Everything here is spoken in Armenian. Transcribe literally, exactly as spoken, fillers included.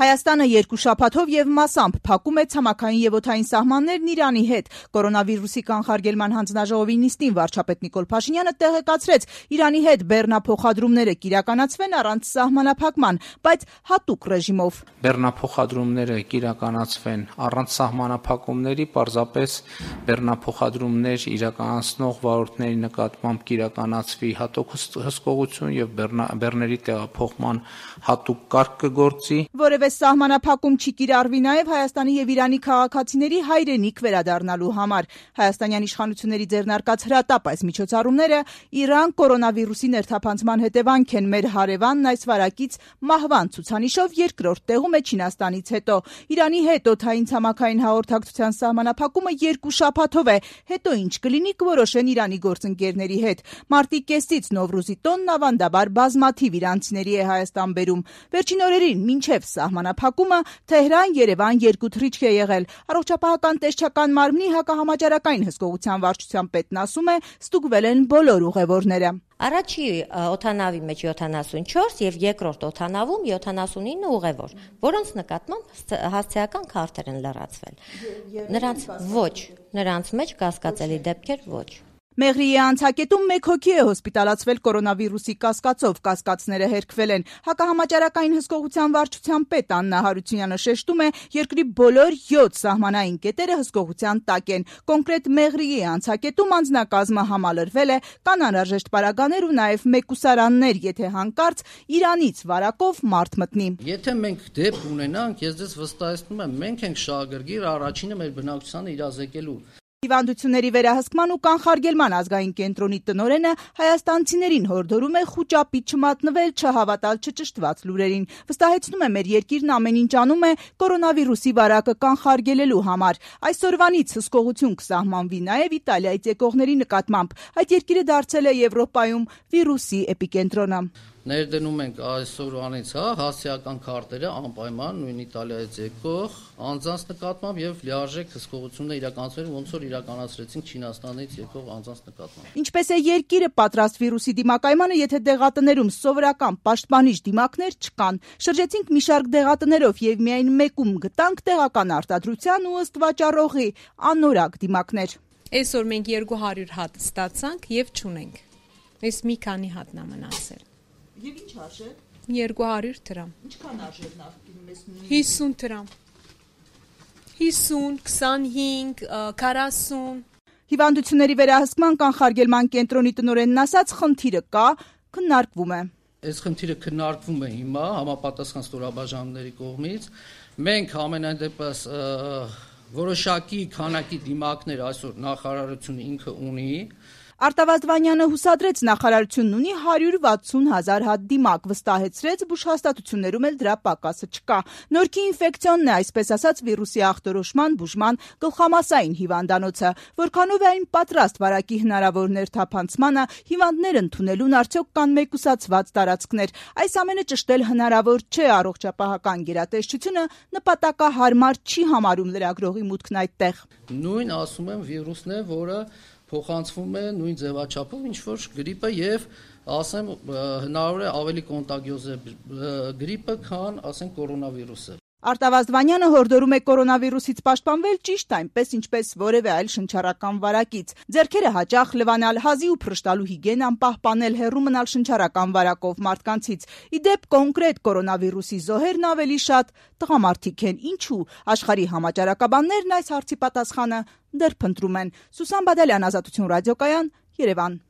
Հայաստանը երկու շաբաթով եւ մասամբ փակում է ցամաքային եւ օդային սահմաններն Իրանի հետ։ Կորոնավիրուսի կանխարգելման հանձնաժողովի նիստին վարչապետ Նիկոլ Փաշինյանը տեղեկացրեց, Իրանի հետ բեռնափոխադրումները կիրականացվեն առանց սահմանափակման, բայց հատուկ ռեժիմով։ Բեռնափոխադրումները կիրականացվեն առանց սահմանափակումների, պարզապես բեռնափոխադրումներ իրականացնող վարորդների նկատմամբ կիրականացվի հատուկ հսկողություն եւ բեռների տեղափոխման հատուկ կարգ կգործի։ Որևէ սահմանափակում չի կիրառվի նաև Հայաստանի եւ Իրանի քաղաքացիների հայրենիք վերադառնալու համար։ Հայաստանյան իշխանությունների ձեռնարկած հրատապ այս միջոցառումները Իրան կորոնավիրուսի ներթափանցման հետևանք են։ Մեր հարևանն այս վարակից մահվան ցուցանիշով երկրորդ տեղում է Չինաստանից հետո։ Իրանի հետ օդային ցամաքային հաղորդակցության սահմանափակումը երկու շաբաթով է, հետո ինչ կլինի կորոշեն Իրանի գործընկերների հետ։ Մարտի կեսից Նովրուզի տոնն ավանդաբար բազմաթիվ իրանցիների է Հայաստան բերում։ Վերջին օրերին մինչև սահմանափակումը Թեհրան-Երևան երկու թռիչք է եղել։ Առողջապահական տեսչական մարմնի հակահամաճարակային հսկողության վարչության պետն ասում է, ստուգվել են բոլոր ուղևորները։ Առաջի օդանավի մեջ յոթանասունչորս եւ երկրորդ օդանավում յոթանասունինը ուղևոր, որոնց նկատմամբ հասցեական քարտեր են լրացվել։ Նրանց ոչ, նրանց մեջ կասկածելի դեպքեր ոչ։ Մեղրիի անցակետում մեկ հոգի է հոսպիտալացվել կորոնավիրուսի կասկածով, կասկածները հերքվել են։ Հակահամաճարակային հսկողության վարչության պետ Աննա Հարությունյանը շեշտում է, երկրի բոլոր յոթ սահմանային կետերը հսկողության տակ են։ Կոնկրետ Մեղրիի անցակետում անձնակազմը համալրվել է, կան անհրաժեշտ պարագաներ ու նաև մեկուսարաններ, եթե հանկարծ Իրանից վարակով մարդ մտնի։ Եթե մենք դեպք ունենանք, ես ձեզ վստահեցնում եմ, մենք ենք շահագրգիռ առաջինը մեր բնակչությանը իրազեկելու։ Հիվանդությունների վերահսկման ու կանխարգելման ազգային կենտրոնի տնօրենը հայաստանցիներին հորդորում է խուճապի չմատնվել, չհավատալ չճշտված լուրերին։ Վստահեցնում է, մեր երկիրն ամեն ինչ անում է կորոնավիրուսի վարակը կանխարգելելու համար։ Այսօրվանից հսկողություն կսահմանվի նաև Իտալիայից եկողների նկատմամբ։ Այդ երկիրը դարձել է Եվրոպայում վիրուսի էպիկենտրոնը։ Ներդնում ենք այսօրվանից, հա, հասցեական քարտերը անպայման նույն Իտալիայից եկող անձանց նկատմամբ եւ լիարժեք հսկողություններ իրականացնել, ոնց որ իրականացրեցինք Չինաստանից եկող անձանց նկատմամբ։ Ինչպես է երկիրը պատրաստ վիրուսի դիմակայմանը, եթե դեղատներում սովորական պաշտպանիչ դիմակներ չկան։ Շրջեցինք մի շարք դեղատներով եւ միայն մեկում գտանք տեղական արտադրության ու ըստ վաճառողի անորակ դիմակներ։ Այսօր մենք երկու հարյուր հատ ստացանք եւ չունենք։ Այս մի քանի հատն է մնացել։ Եվ ինչ արժե։ երկու հարյուր դրամ։ Ինչքան արժեր նախկինում ես նույն։ հիսուն դրամ։ հիսուն, քսանհինգ, քառասուն։ Հիվանդությունների վերահսկման կանխարգելման կենտրոնի տնօրենն ասաց, խնդիրը կա, քննարկվում է։ Այս խնդիրը քննարկվում է հիմա համապատասխան ստորաբաժանումների կողմից։ Մենք ամենայն դեպս որոշակի քանակի դիմակներ այսօր նախարարությունը ինքը ունի։ Արտավազդ Վանյանը հուսադրեց, նախարարությունն ունի հարյուր վաթսուն հազար հատ դիմակ, վստահեցրեց, բուժհաստատություններում էլ դրա պակասը չկա։ Նորքի ինֆեկցիոնն է, այսպես ասած, վիրուսի ախտորոշման, բուժման գլխամասային հիվանդանոցը։ Որքանով է այն պատրաստ վարակի հնարավոր ներթափանցմանը, հիվանդներ ընդունելուն, արդյոք կան մեկուսացված տարածքներ։ Այս ամենը ճշտել հնարավոր չէ, առողջապահական գերատեսչությունը նպատակահարմար չի համարում լրագրողի մուտքն այդտեղ։ Նույն ասում եմ վիրուսն է, որը փոխանցվում է նույն ձևաչափով, ինչ որ գրիպը եւ ասեմ հնարավոր է ավելի կոնտագիոզ է գրիպը, քան ասենք կորոնավիրուսը։ Արտավազդ Վանյանը հորդորում է կորոնավիրուսից պաշտպանվել ճիշտ այնպես, ինչպես որևէ այլ շնչառական վարակից։ Ձեռքերը հաճախ լվանալ, հազի ու փռշտալու հիգիենան պահպանել, հեռու մնալ շնչառական վարակով մարդկանցից։ Ի դեպ կոնկրետ կորոնավիրուսի զոհերն ավելի շատ տղամարդիկ են։ Ինչու՞։ Աշխարհի համաճարակաբաններն այս հարցի պատասխանը դեռ փնտրում են։ Սուսան Բադալյան, Ազատություն ռադիոկայան, Երևան։